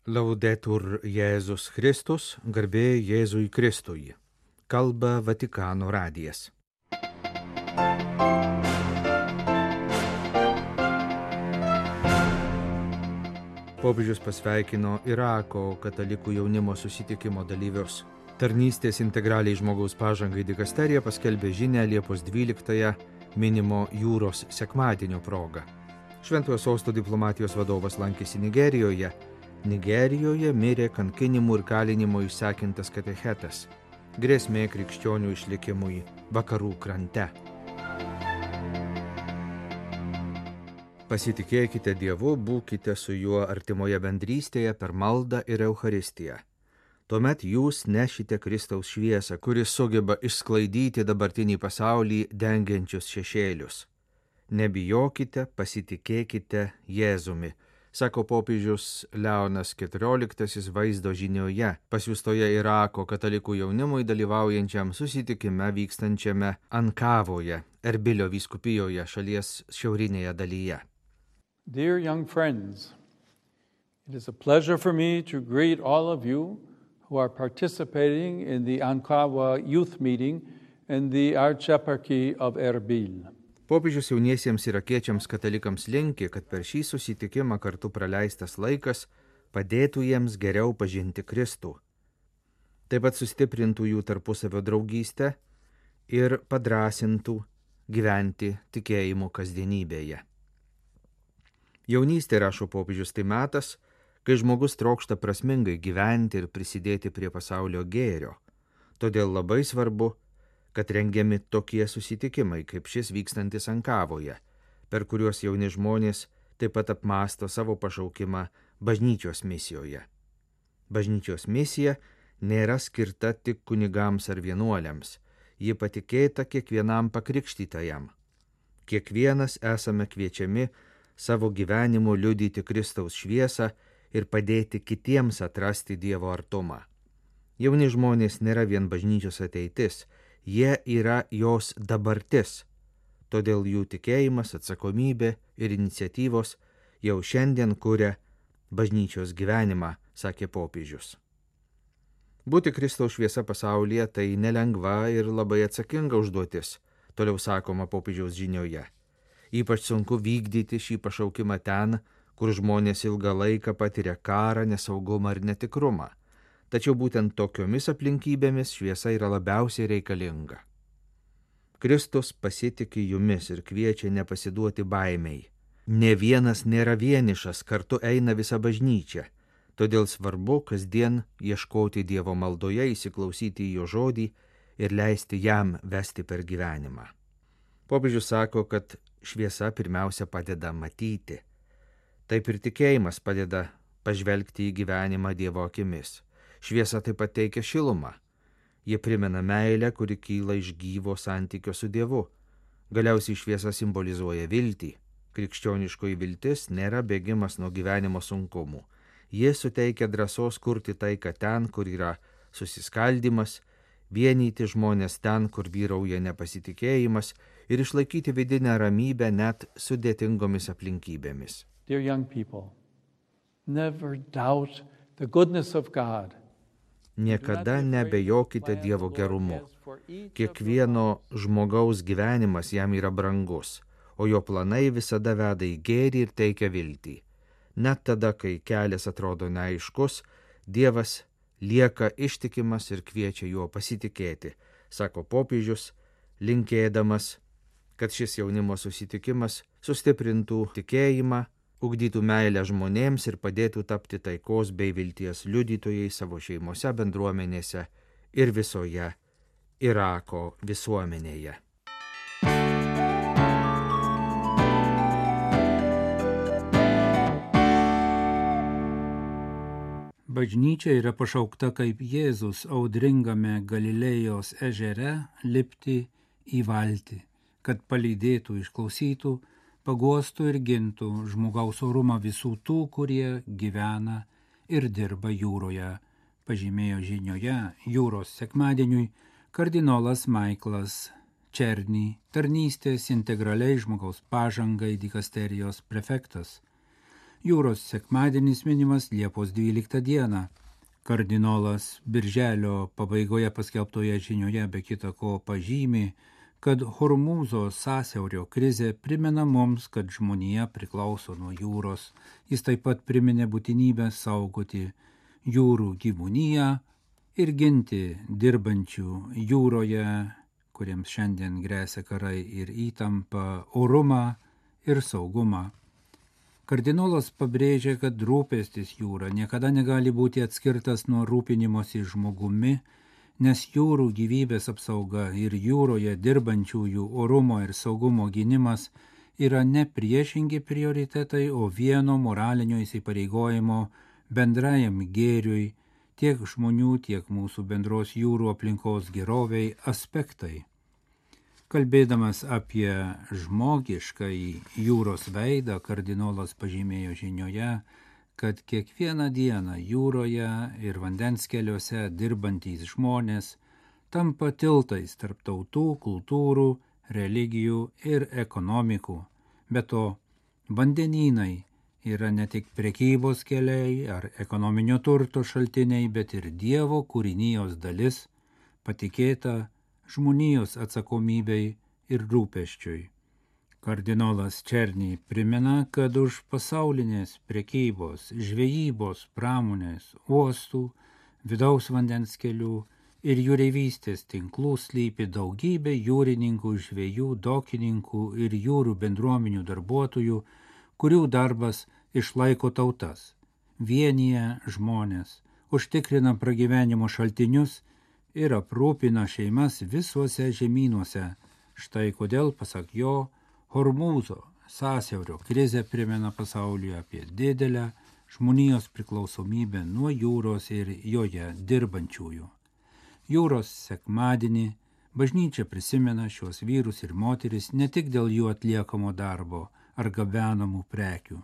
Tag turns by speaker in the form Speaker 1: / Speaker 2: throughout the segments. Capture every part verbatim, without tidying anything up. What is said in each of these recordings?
Speaker 1: Laudetur Jėzus Kristus, garbė Jėzui Kristui. Kalba Vatikano radijas. Popiežius pasveikino Irako katalikų jaunimo susitikimo dalyvius. Tarnystės integraliai žmogaus pažangai dikasterija paskelbė žinią Liepos dvyliktąją minimo jūros sekmadienio proga. Šventojo sosto diplomatijos vadovas lankėsi Nigerijoje. Nigerijoje mirė kankinimų ir kalinimo išsekintas katechetas. Grėsmė krikščionių išlikimui vakarų krante. Pasitikėkite Dievu, būkite su juo artimoje bendrystėje per maldą ir Eucharistiją. Tuomet jūs nešite Kristaus šviesą, kuris sugeba išsklaidyti dabartinį pasaulį dengiančius šešėlius. Nebijokite, pasitikėkite Jėzumi, sako popiežius Leonas keturioliktasis vaizdo žinioje, pasiųstoje Irako katalikų jaunimui dalyvaujančiam susitikime vykstančiame Ankavoje, Erbilio vyskupijoje, šalies šiaurinėje dalyje.
Speaker 2: Dear young friends, it is a pleasure for me to greet all of you who are participating in the Ankara youth meeting in the Archieparchy of Erbil.
Speaker 1: Popiežius jauniesiems irakiečiams katalikams linki, kad per šį susitikimą kartu praleistas laikas padėtų jiems geriau pažinti Kristų. Taip pat sustiprintų jų tarpusavio draugystę ir padrasintų gyventi tikėjimu kasdienybėje. Jaunystė, rašo popiežius, tai metas, kai žmogus trokšta prasmingai gyventi ir prisidėti prie pasaulio gėrio. Todėl labai svarbu, kad rengiami tokie susitikimai, kaip šis vykstantis Ankavoje, per kuriuos jauni žmonės taip pat apmąsto savo pašaukimą bažnyčios misijoje. Bažnyčios misija nėra skirta tik kunigams ar vienuoliams, ji patikėta kiekvienam pakrikštytajam. Kiekvienas esame kviečiami savo gyvenimu liudyti Kristaus šviesą ir padėti kitiems atrasti Dievo artumą. Jauni žmonės nėra vien bažnyčios ateitis, jie yra jos dabartis, todėl jų tikėjimas, atsakomybė ir iniciatyvos jau šiandien kuria bažnyčios gyvenimą, sakė popiežius. Būti Kristaus šviesa pasaulyje tai nelengva ir labai atsakinga užduotis, toliau sakoma popiežiaus žinioje. Ypač sunku vykdyti šį pašaukimą ten, kur žmonės ilgą laiką patiria karą, nesaugumą ir netikrumą. Tačiau būtent tokiomis aplinkybėmis šviesa yra labiausiai reikalinga. Kristus pasitiki jumis ir kviečia nepasiduoti baimei. Ne vienas nėra vienišas, kartu eina visa bažnyčia. Todėl svarbu kasdien ieškoti Dievo maldoje, įsiklausyti į jo žodį ir leisti jam vesti per gyvenimą. Popiežius sako, kad šviesa pirmiausia padeda matyti. Taip ir tikėjimas padeda pažvelgti į gyvenimą Dievo akimis. Šviesa taip pat teikia šilumą. Jie primena meilę, kuri kyla iš gyvo santykio su Dievu. Galiausiai šviesa simbolizuoja viltį. Krikščioniškoji viltis nėra bėgimas nuo gyvenimo sunkumų. Jie suteikia drąsos kurti taiką ten, kur yra susiskaldimas, vienyti žmonės ten, kur vyrauja nepasitikėjimas ir išlaikyti vidinę ramybę net sudėtingomis aplinkybėmis.
Speaker 2: Dear young people, never doubt the goodness of God.
Speaker 1: Niekada nebejokite Dievo gerumu. Kiekvieno žmogaus gyvenimas jam yra brangus, o jo planai visada veda į gėrį ir teikia viltį. Net tada, kai kelias atrodo neaiškus, Dievas lieka ištikimas ir kviečia juo pasitikėti, sako popiežius, linkėdamas, kad šis jaunimo susitikimas sustiprintų tikėjimą, ugdytų meilę žmonėms ir padėtų tapti taikos bei vilties liudytojai savo šeimose, bendruomenėse ir visoje Irako visuomenėje.
Speaker 3: Bažnyčia yra pašaukta kaip Jėzus audringame Galilėjos ežere lipti į valtį, kad palydėtų, išklausytų, paguostų ir gintų žmogaus orumą visų tų, kurie gyvena ir dirba jūroje, pažymėjo žinioje jūros sekmadieniui kardinolas Maiklas Černy, tarnystės integraliai žmogaus pažangai dikasterijos prefektas. Jūros sekmadienis minimas Liepos dvyliktą dieną. Kardinolas birželio pabaigoje paskelbtoje žinioje be kita ko pažymi, kad Hormūzo sąsiaurio krizė primena mums, kad žmonija priklauso nuo jūros. Jis taip pat priminė būtinybę saugoti jūrų gyvūniją ir ginti dirbančių jūroje, kuriems šiandien grėsia karai ir įtampa, orumą ir saugumą. Kardinolas pabrėžė, kad rūpestis jūra niekada negali būti atskirtas nuo rūpinimosi žmogumi, nes jūrų gyvybės apsauga ir jūroje dirbančiųjų orumo ir saugumo gynimas yra ne priešingi prioritetai, o vieno moralinio įsipareigojimo bendrajam gėriui, tiek žmonių, tiek mūsų bendros jūrų aplinkos geroviai aspektai. Kalbėdamas apie žmogiškąjį jūros veidą, kardinolas pažymėjo žinioje, kad kiekvieną dieną jūroje ir vandens keliuose dirbantys žmonės tampa tiltais tarp tautų, kultūrų, religijų ir ekonomikų. Be to, vandenynai yra ne tik prekybos keliai ar ekonominio turto šaltiniai, bet ir Dievo kūrinijos dalis, patikėta žmonijos atsakomybei ir rūpesčiui. Kardinolas Černy primena, kad už pasaulinės prekybos, žvejybos, pramonės, uostų, vidaus vandens kelių ir jūreivystės tinklų slypi daugybė jūrininkų, žvejų, dokininkų ir jūrų bendruomenių darbuotojų, kurių darbas išlaiko tautas, vienyje žmonės, užtikrina pragyvenimo šaltinius ir aprūpina šeimas visuose žemynuose. Štai kodėl, pasak jo, Hormūzo sąsiaurio krizė primena pasaulyje apie didelę žmonijos priklausomybę nuo jūros ir joje dirbančiųjų. Jūros sekmadienį bažnyčia prisimena šios vyrus ir moteris ne tik dėl jų atliekamo darbo ar gabenamų prekių,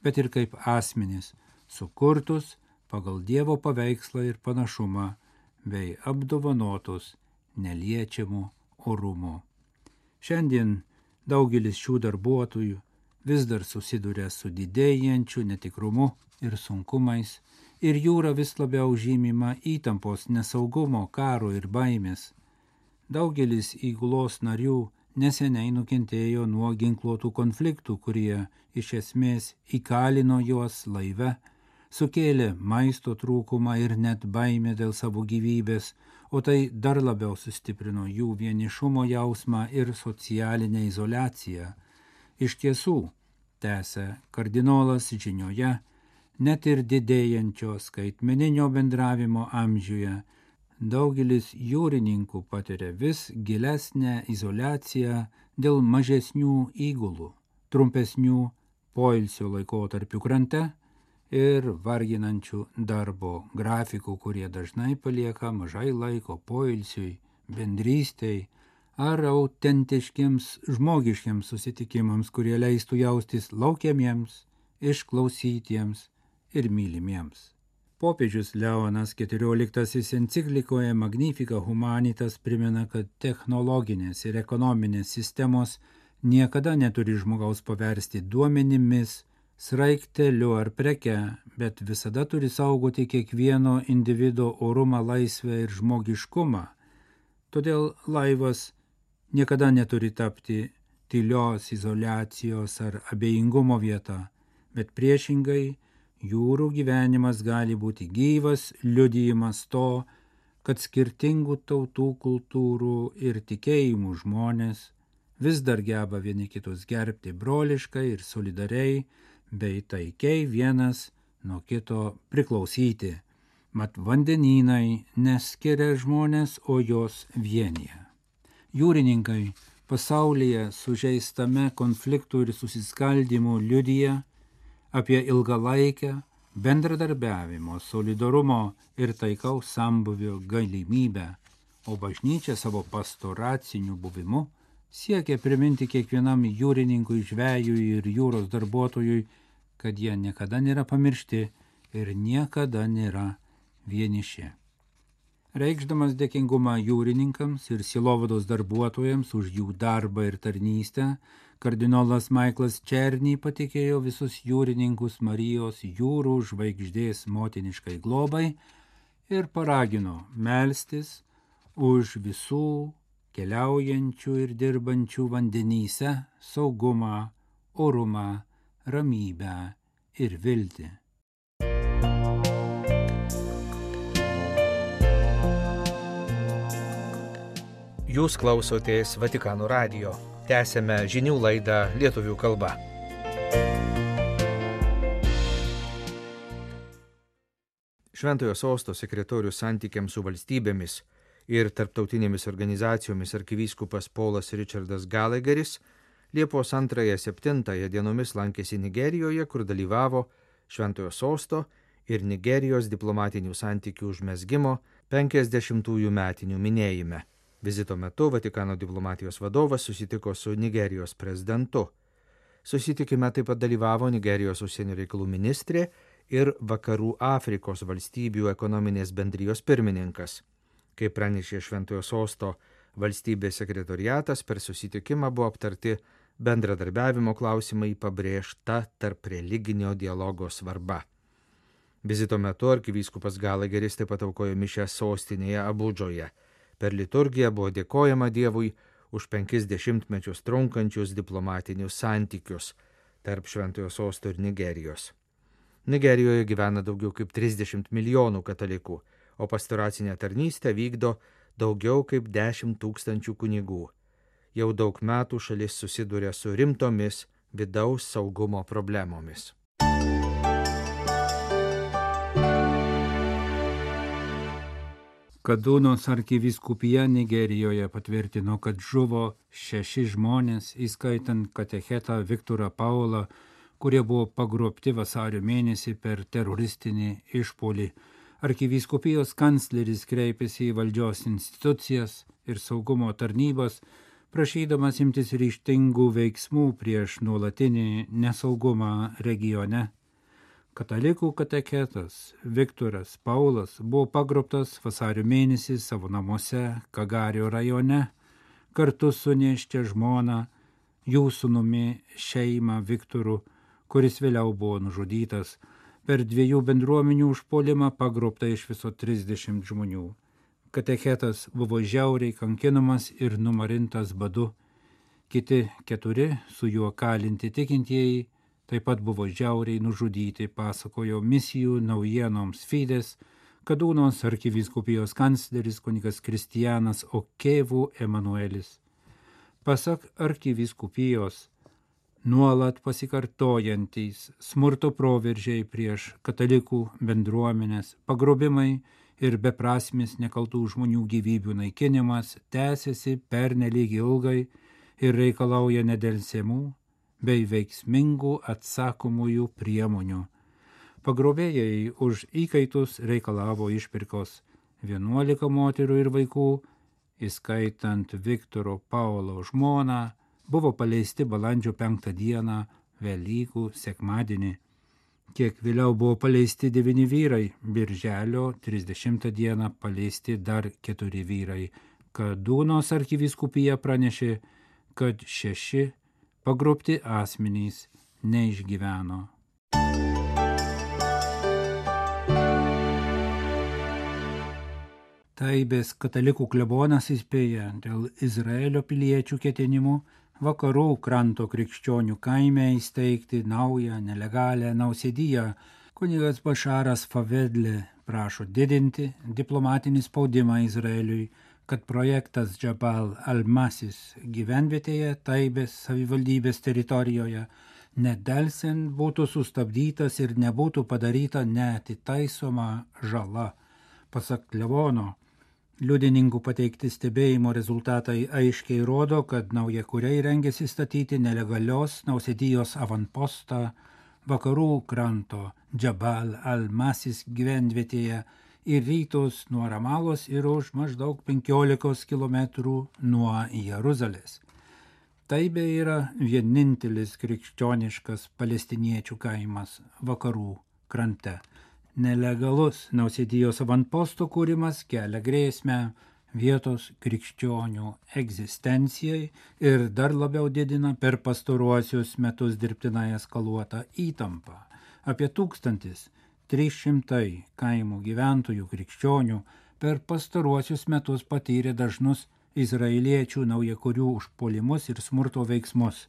Speaker 3: bet ir kaip asmenys, sukurtus pagal Dievo paveikslą ir panašumą, bei apdovanotus neliečiamų orumo. Šiandien daugelis šių darbuotojų vis dar susiduria su didėjančiu netikrumu ir sunkumais, ir jūra vis labiau žymima įtampos, nesaugumo, karo ir baimės. Daugelis įgulos narių neseniai nukentėjo nuo ginkluotų konfliktų, kurie iš esmės įkalino juos laive, sukėlė maisto trūkumą ir net baimę dėl savo gyvybės, o tai dar labiau sustiprino jų vienišumo jausmą ir socialinę izoliaciją. Iš tiesų, tęsia kardinolas žinioje, net ir didėjančio skaitmeninio bendravimo amžiuje, daugelis jūrininkų patiria vis gilesnę izoliaciją dėl mažesnių įgulų, trumpesnių poilsio laikotarpių krante ir varginančių darbo grafikų, kurie dažnai palieka mažai laiko poilsiui, bendrystei ar autentiškiams žmogiškiams susitikimams, kurie leistų jaustis laukiamiems, išklausytiems ir mylimiems. Popiežius Leonas keturioliktasis enciklikoje Magnificat Humanitas primena, kad technologinės ir ekonominės sistemos niekada neturi žmogaus paversti duomenimis, sraigteliu ar preke, bet visada turi saugoti kiekvieno individo orumą, laisvę ir žmogiškumą. Todėl laivas niekada neturi tapti tylios izoliacijos ar abejingumo vieta, bet priešingai jūrų gyvenimas gali būti gyvas liudijimas to, kad skirtingų tautų, kultūrų ir tikėjimų žmonės vis dar geba vieni kitus gerbti broliškai ir solidariai, bei taikiai vienas nuo kito priklausyti. Mat vandenynai neskiria žmonės, o jos vienyje. Jūrininkai pasaulyje sužeistame konfliktų ir susiskaldymų liudija apie ilgalaikę bendradarbiavimo, solidarumo ir taikaus sambuvio galimybę, o bažnyčia savo pastoraciniu buvimu siekia priminti kiekvienam jūrininkui, žvejui ir jūros darbuotojui, kad jie niekada nėra pamiršti ir niekada nėra vieniši. Reikšdamas dėkingumą jūrininkams ir sielovados darbuotojams už jų darbą ir tarnystę, Kardinolas Michaelas Černy patikėjo visus jūrininkus Marijos jūrų žvaigždės motiniškai globai ir paragino melstis už visų keliaujančių ir dirbančių vandenyse saugumą, orumą, ramybę ir viltį.
Speaker 1: Jūs klausotės Vatikano radijo. Tęsėme žinių laidą lietuvių kalba. Šventojo sosto sekretorius santykiams su valstybėmis ir tarptautinėmis organizacijomis arkivyskupas Paulas Richardas Gallagheris Liepos antrąją septintąją dienomis lankėsi Nigerijoje, kur dalyvavo Šventojo sosto ir Nigerijos diplomatinių santykių užmezgimo penkiasdešimtųjų metinių minėjime. Vizito metu Vatikano diplomatijos vadovas susitiko su Nigerijos prezidentu. Susitikime taip pat dalyvavo Nigerijos užsienio reikalų ministrė ir Vakarų Afrikos valstybių ekonominės bendrijos pirmininkas. Kaip pranešė Šventojo sosto valstybės sekretoriatas, per susitikimą buvo aptarti bendradarbiavimo klausimai, pabrėžta tarp religinio dialogo svarba. Vizito metu arkivyskupas Gallagheris taip pat aukojo mišią sostinėje Abudžoje. Per liturgiją buvo dėkojama Dievui už penkis dešimtmečius trunkančius diplomatinius santykius tarp Šventojo sosto ir Nigerijos. Nigerijoje gyvena daugiau kaip trisdešimt milijonų katalikų, o pastoracinę tarnystę vykdo daugiau kaip dešimt tūkstančių kunigų. Jau daug metų šalis susiduria su rimtomis vidaus saugumo problemomis.
Speaker 3: Kadūnos arkivyskupija Nigerijoje patvirtino, kad žuvo šeši žmonės, įskaitant katechetą Viktorą Paulą, kurie buvo pagrobti vasario mėnesį per teroristinį išpuolį. Arkivyskupijos kancleris kreipėsi į valdžios institucijas ir saugumo tarnybas, prašydamas imtis ryžtingų veiksmų prieš nuolatinį nesaugumą regione. Katalikų katechetas Viktoras Paulas buvo pagrobtas vasario mėnesį savo namuose Kagario rajone kartu su nėščia žmona, jų sūnumi šeima Viktoru, kuris vėliau buvo nužudytas. Per dviejų bendruomenių užpuolimą pagrobta iš viso trisdešimt žmonių. Katechetas buvo žiauriai kankinamas ir numarintas badu. Kiti keturi su juo kalinti tikintieji taip pat buvo žiauriai nužudyti, pasakojo misijų naujienoms Fides Kadūnos arkivyskupijos kancleris kunigas Kristijanas Okevų Emanuelis. Pasak arkivyskupijos, nuolat pasikartojantys smurto proveržiai prieš katalikų bendruomenės, pagrobimai ir beprasmis nekaltų žmonių gyvybių naikinimas tęsiasi pernelyg ilgai ir reikalauja nedelsiamų bei veiksmingų atsakomųjų priemonių. Pagrobėjai už įkaitus reikalavo išpirkos vienuolika moterų ir vaikų, įskaitant Viktoro Paulo žmoną, buvo paleisti balandžio penktą dieną Velykų sekmadienį. Kiek vėliau buvo paleisti devyni vyrai, birželio trisdešimtą dieną paleisti dar keturi vyrai. Kadūnos arkivyskupija pranešė, kad šeši pagrobti asmenys neišgyveno. Taibės katalikų klebonas įspėja dėl Izraelio piliečių ketinimų vakarų kranto krikščionių kaime įsteigti naują nelegalią nausėdiją. Kunigas Bašaras Favedlė prašo didinti diplomatinį spaudimą Izraeliui, kad projektas Džabal Al-Masis gyvenvietėje Taibės savivaldybės teritorijoje nedelsiant būtų sustabdytas ir nebūtų padaryta neatitaisoma žala. Pasak klebono, liudininkų pateikti stebėjimo rezultatai aiškiai rodo, kad naujakuriai rengiasi statyti nelegalios nausėdijos avanpostą vakarų kranto Džabal Al-Masis gyvenvietėje į rytus nuo Ramalos ir už maždaug penkiolikos kilometrų nuo Jeruzalės. Taibė yra vienintelis krikščioniškas palestiniečių kaimas vakarų krante. Nelegalus nausėdijos avanposto kūrimas kelia grėsmę vietos krikščionių egzistencijai ir dar labiau didina per pastaruosius metus dirbtinai eskaluotą įtampą. Apie tūkstantis trys šimtai kaimų gyventojų krikščionių per pastaruosius metus patyrė dažnus izraeliečių naujakurių užpuolimus ir smurto veiksmus,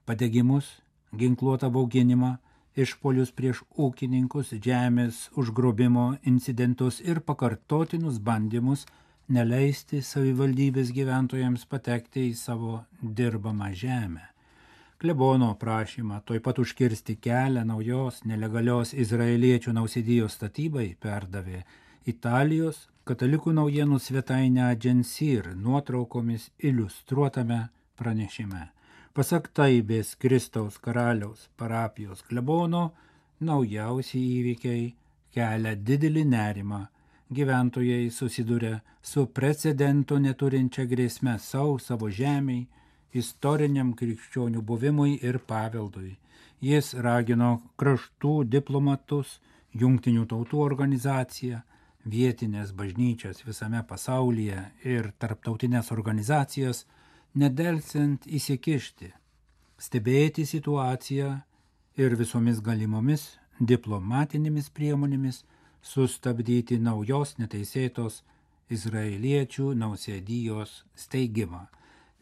Speaker 3: padegimus, ginkluotą bauginimą, išpuolius prieš ūkininkus, žemės užgrobimo incidentus ir pakartotinus bandymus neleisti savivaldybės gyventojams patekti į savo dirbamą žemę. Klebono prašymą tuoj pat užkirsti kelią naujos nelegalios izraeliečių nausėdijos statybai perdavė Italijos katalikų naujienų svetainę Agensir nuotraukomis iliustruotame pranešime. Pasak Taibės Kristaus karaliaus parapijos klebono, naujausi įvykiai kelia didelį nerimą. Gyventojai susiduria su precedento neturinčia grėsme savo, savo žemiai, istoriniam krikščionių buvimui ir paveldui. Jis ragino kraštų diplomatus, jungtinių tautų organizaciją, vietinės bažnyčias visame pasaulyje ir tarptautinės organizacijas nedelsiant įsikišti, stebėti situaciją ir visomis galimomis diplomatinėmis priemonėmis sustabdyti naujos neteisėtos izraeliečių nausėdijos steigimą.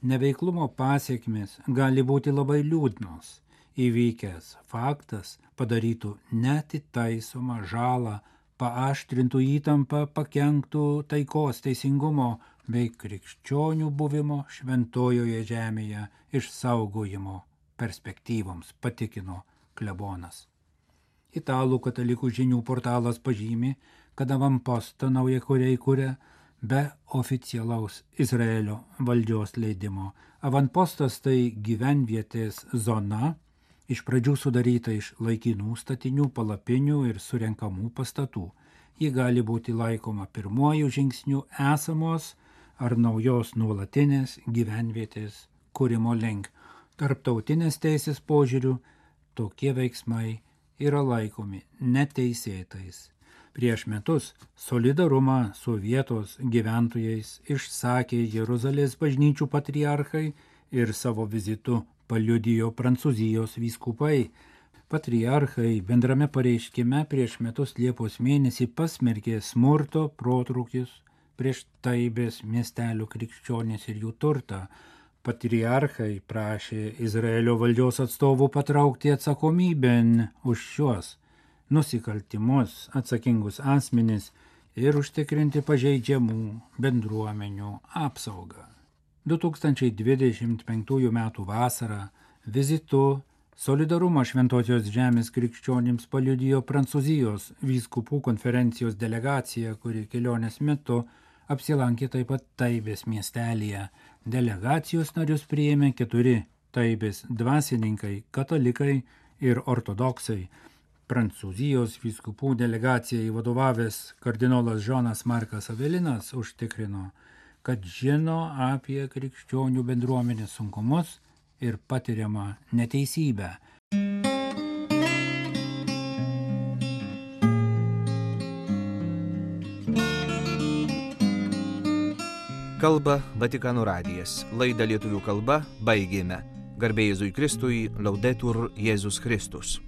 Speaker 3: Neveiklumo pasiekmes gali būti labai liūdnos. Įvykęs faktas padarytų neatitaisomą žalą, paaštrintų įtampą, pakenktų taikos, teisingumo bei krikščionių buvimo šventojoje žemėje išsaugojimo perspektyvoms, patikino klebonas. Italų katalikų žinių portalas pažymi, kad avampostą naujakuriai kuria be oficialaus Izraelio valdžios leidimo. Avantpostas tai gyvenvietės zona, iš pradžių sudaryta iš laikinų statinių, palapinių ir surenkamų pastatų. Ji gali būti laikoma pirmuoju žingsniu esamos ar naujos nuolatinės gyvenvietės kūrimo link. Tarptautinės teisės požiūrių tokie veiksmai yra laikomi neteisėtais. Prieš metus solidarumą su vietos gyventojais išsakė Jeruzalės bažnyčių patriarchai ir savo vizitu paliudijo Prancūzijos vyskupai. Patriarchai bendrame pareiškime prieš metus Liepos mėnesį pasmerkė smurto protrūkius prieš Taibės miestelio krikščionis ir jų turtą. Patriarchai prašė Izraelio valdžios atstovų patraukti atsakomybėn už šios nusikaltimus atsakingus asmenis ir užtikrinti pažeidžiamų bendruomenių apsaugą. du tūkstančiai dvidešimt penktųjų metų vasarą vizitu Solidarumą Šventosios žemės krikščionims paliudijo Prancūzijos vyskupų konferencijos delegacija, kuri kelionės metu apsilankė taip pat Taibės miestelyje. Delegacijos narius priėmė keturi Taibės dvasininkai, katalikai ir ortodoksai. Prancūzijos vyskupų delegacijai vadovavęs kardinolas Žonas Markas Avelinas užtikrino, kad žino apie krikščionių bendruomenės sunkumus ir patiriamą neteisybę.
Speaker 1: Kalba Vatikano radijas. Laidą lietuvių kalba baigėme. Garbė Jėzui Kristui, Laudetur Jėzus Kristus.